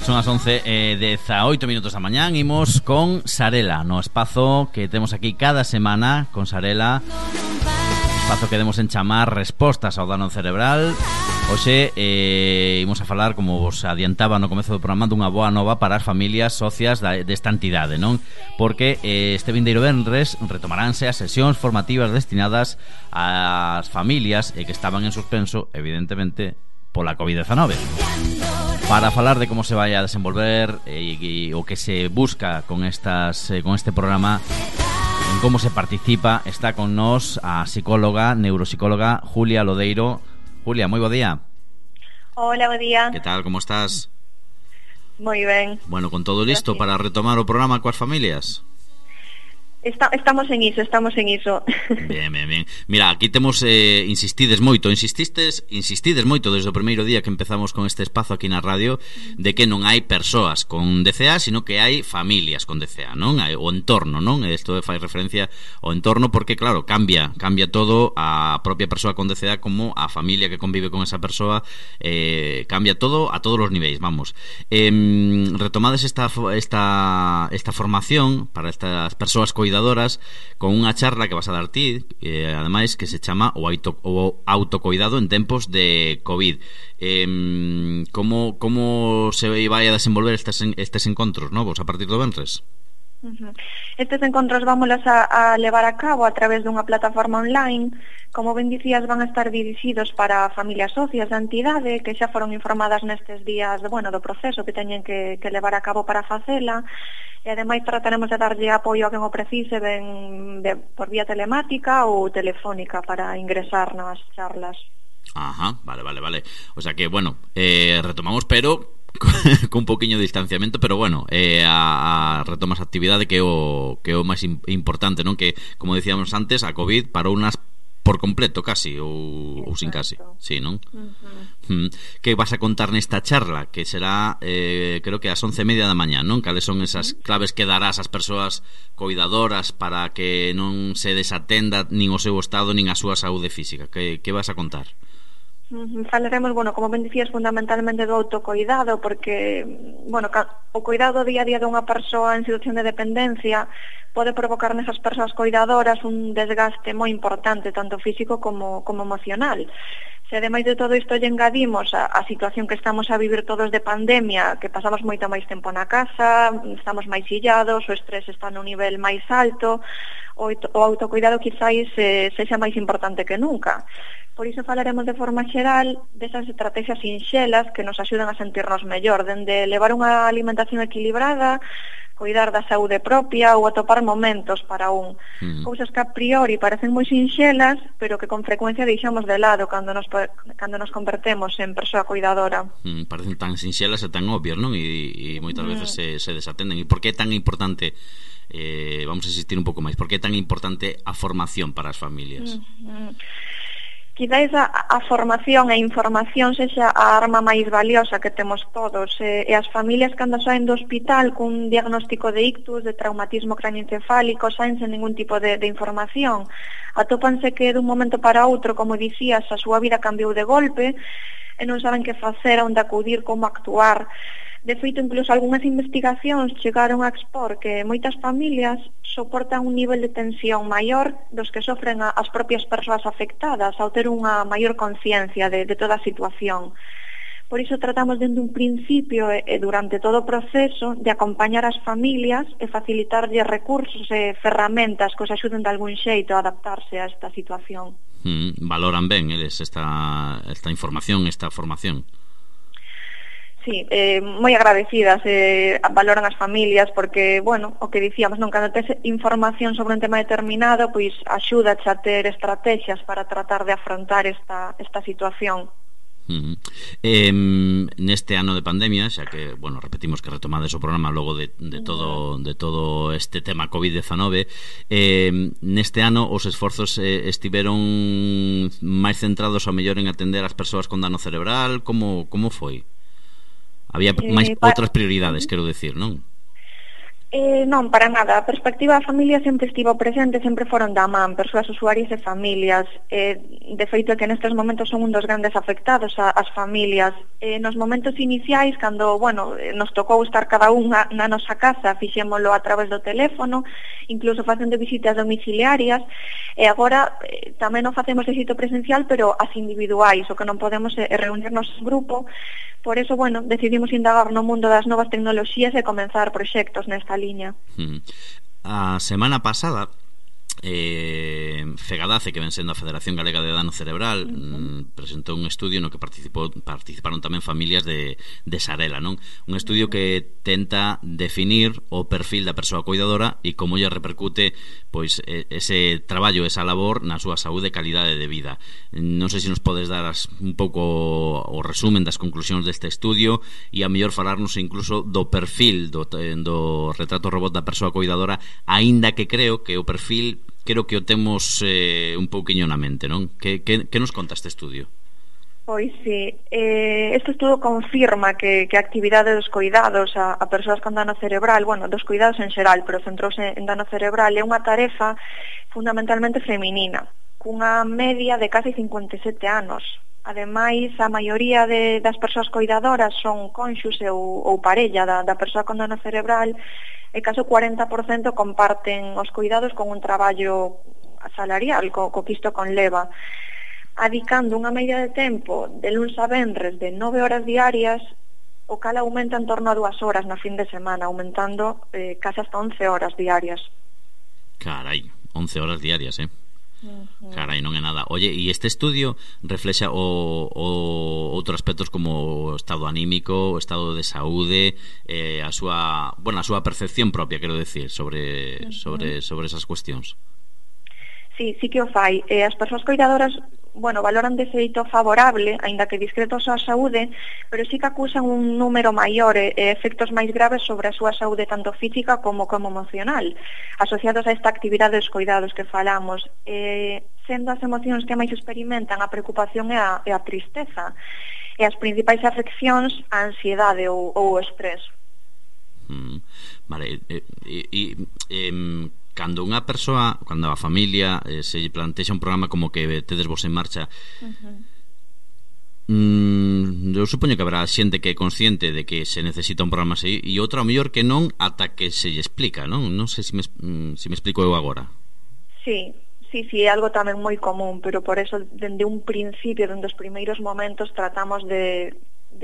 Son as 11:18 minutos da mañán. Imos con Sarela, no espazo que temos aquí cada semana con Sarela, espazo que demos en chamar respostas ao dano cerebral. Hoxe imos a falar, como vos adiantaba no comezo do programa, dunha boa nova para as familias socias desta entidade, non? Porque este vindeiro venres retomaránse as sesións formativas destinadas ás familias que estaban en suspenso, evidentemente, pola COVID-19. Para falar de como se vai a desenvolver e o que se busca con este programa, en como se participa, está con nós a psicóloga, neuropsicóloga Julia Lodeiro. Julia, moi bo día. Hola, bo día. Que tal, como estás? Moi ben. Bueno, con todo listo. Gracias. Para retomar o programa coas familias? Estamos en iso. Bien. Mira, aquí temos insistides moito desde o primeiro día que empezamos con este espazo aquí na radio, de que non hai persoas con DCA, sino que hai familias con DCA, non? O entorno, non? Isto fai referencia ao entorno porque, claro, cambia todo, a propia persoa con DCA como a familia que convive con esa persoa, cambia todo a todos os niveis, vamos. Retomades esta formación para estas persoas coidadoras con unha charla que vas a dar ti, ademais, que se chama o autocoidado en tempos de COVID. Como se vai a desenvolver estes encontros novos a partir do venres? Estes encontros vámonos a levar a cabo a través dunha plataforma online. Como ben dicías, van a estar dirixidos para familias socias da entidade que xa foron informadas nestes días do proceso que teñen que levar a cabo para facela, e ademais trataremos de darlle apoio a quen o precise, por vía telemática ou telefónica, para ingresar nas charlas. Ajá, vale. O sea que, bueno, retomamos, pero con un poquinho de distanciamento, pero bueno, a retomas a actividade que é o máis importante, non? Que, como decíamos antes, a COVID parou unas por completo casi, ou sin casi, sí, non? Que vas a contar nesta charla, que será creo que ás 11:30 da mañá, non? Cales son esas claves que darás ás persoas coidadoras para que non se desatenda nin o seu estado nin a súa saúde física? Que vas a contar? Falaremos, como ben dicías, fundamentalmente do autocoidado, porque, o coidado día a día dunha persoa en situación de dependencia pode provocar nesas persoas coidadoras un desgaste moi importante, tanto físico como emocional. Se ademais de todo isto lle engadimos a situación que estamos a vivir todos de pandemia, que pasamos moito máis tempo na casa, estamos máis illados, o estrés está nun nivel máis alto, o autocoidado quizáis sexa máis importante que nunca. Por iso falaremos de forma xeral desas estrategias sinxelas que nos axudan a sentirnos mellor, dende levar unha alimentación equilibrada, coidar da saúde propia ou atopar momentos para cousas que a priori parecen moi sinxelas, pero que con frecuencia deixamos de lado cando nos convertemos en persoa coidadora. Parecen tan sinxelas e tan obvias, non? E moitas veces se desatenden. E por que é tan importante, vamos a insistir un pouco máis, por que é tan importante a formación para as familias? Quizáis a formación e información sexa a arma máis valiosa que temos todos, e as familias cando saen do hospital cun diagnóstico de ictus, de traumatismo cranioencefálico, saen sen ningún tipo de información, atópanse que dun momento para outro, como dicías, a súa vida cambiou de golpe e non saben que facer, onde acudir, como actuar. De feito, incluso algunhas investigacións chegaron a expor que moitas familias soportan un nivel de tensión maior dos que sofren as propias persoas afectadas ao ter unha maior conciencia de toda a situación. Por iso tratamos dende un principio e durante todo o proceso de acompañar as familias e facilitarlle recursos e ferramentas que os axuden de algún xeito a adaptarse a esta situación. Valoran ben eles esta información, esta formación? Sí, moi agradecidas, valoran as familias porque, o que dicíamos, cando tes información sobre un tema determinado, pois axuda a ter estrategias para tratar de afrontar esta situación. Neste ano de pandemia, xa que, repetimos que retomades o programa logo de todo este tema COVID-19, neste ano os esforzos estiveron máis centrados ao mellor en atender as persoas con dano cerebral. Como foi? Había máis outras prioridades, quero decir, non? Non, para nada. A perspectiva da familia sempre estivo presente, sempre foron da man, persoas usuarias e familias. De feito, que nestes momentos son un dos grandes afectados as familias. Nos momentos iniciais, cando, nos tocou estar cada unha na nosa casa, fixémolo a través do teléfono, incluso facendo visitas domiciliarias, e agora tamén o facemos de xeito presencial, pero as individuais, o que non podemos é reunirnos en grupo. Por eso, decidimos indagar no mundo das novas tecnoloxías e comenzar proxectos nesta liña. A semana pasada Fegadace, que ven sendo a Federación Galega de Dano Cerebral, presentou un estudio no que participaron tamén familias de Sarela, non? Un estudio que tenta definir o perfil da persoa cuidadora e como lle repercute pois ese traballo, esa labor na súa saúde e calidade de vida. Non sei se nos podes dar un pouco o resumen das conclusións deste estudio e a mellor falarnos incluso do perfil do retrato robot da persoa cuidadora, aínda que creo que o perfil o temos un pouquiño na mente, non? Que nos conta este estudio? Pois sí, este estudo confirma que a actividade dos cuidados a persoas con dano cerebral, dos cuidados en xeral, pero centrouse en dano cerebral, é unha tarefa fundamentalmente feminina, cunha media de casi 57 anos. Ademais, a maioría das persoas cuidadoras son cónxuxe ou parella da persoa con dano cerebral, e caso 40% comparten os cuidados con un traballo salarial, co que isto conleva, adicando unha media de tempo de luns a venres de 9 horas diarias, o cal aumenta en torno a 2 horas na fin de semana, aumentando casi hasta 11 horas diarias. Carai, 11 horas diarias, Carai, non é nada. Oye, e este estudio reflexa outros aspectos como o estado anímico, o estado de saúde, a súa percepción propia, quero decir, sobre esas cuestións. Sí que o fai. As persoas cuidadoras valoran de xeito favorable, aínda que discreto a súa saúde, pero sí que acusan un número maior e efectos máis graves sobre a súa saúde tanto física como emocional, asociados a esta actividade dos cuidados que falamos, sendo as emocións que máis experimentan a preocupación e a tristeza, e as principais afeccións a ansiedade ou o estrés. Vale, cando a familia se plantexa un programa como que tedes vos en marcha, eu supoño que habrá xente que é consciente de que se necesita un programa así e outra ao mellor que non ata que se lle explica, non? Non sei se me explico eu agora. Sí, é algo tamén moi común, pero por eso dende un principio, dende os primeiros momentos tratamos de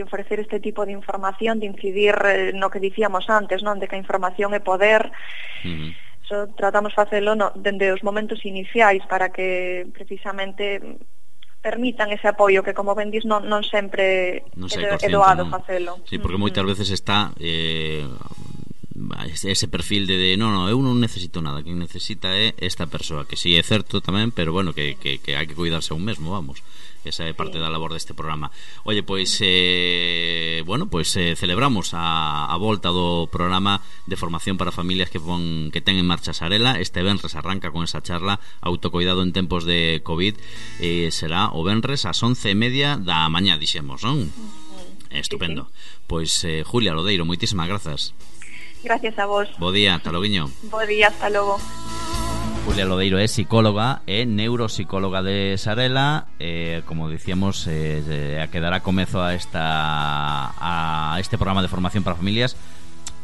ofrecer este tipo de información, de incidir no que dicíamos antes, non? De que a información é poder. Tratamos facelo dende os momentos iniciais para que precisamente permitan ese apoio que, como ben dis, non sempre é doado facelo. Sí, porque moitas veces está ese perfil de non, eu non necesito nada, quen necesita é esta persoa, que si é certo tamén, pero que hai que cuidarse a un mesmo, vamos. Esa é parte da labor deste programa. Oye, pois celebramos a volta do programa de formación para familias que ten en marcha Sarela. Este venres arranca con esa charla Autocoidado en tempos de COVID, será o venres ás 11:30 da mañá, dixemos, non? Estupendo. Pois Julia Lodeiro, moitísimas grazas. Gracias a vos. Bo día, hasta loguiño. Bo día, hasta logo. Julia Lodeiro é psicóloga e neuropsicóloga de Sarela, como dicíamos, a que dará comezo a este programa de formación para familias,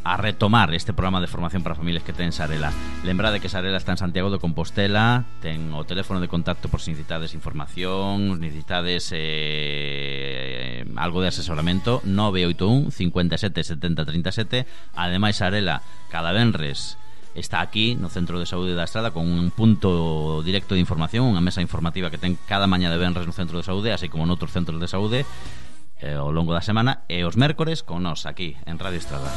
a retomar este programa de formación para familias que ten Sarela. Lembrade que Sarela está en Santiago de Compostela, ten o teléfono de contacto por si necesitades información, necesitades algo de asesoramento, 981 57 70 37. Ademais, Sarela cada venres está aquí no Centro de Saúde da Estrada con un punto directo de información, unha mesa informativa que ten cada mañá de venres no Centro de Saúde, así como noutros centros de saúde ao longo da semana, e os mércores con nós aquí en Radio Estrada.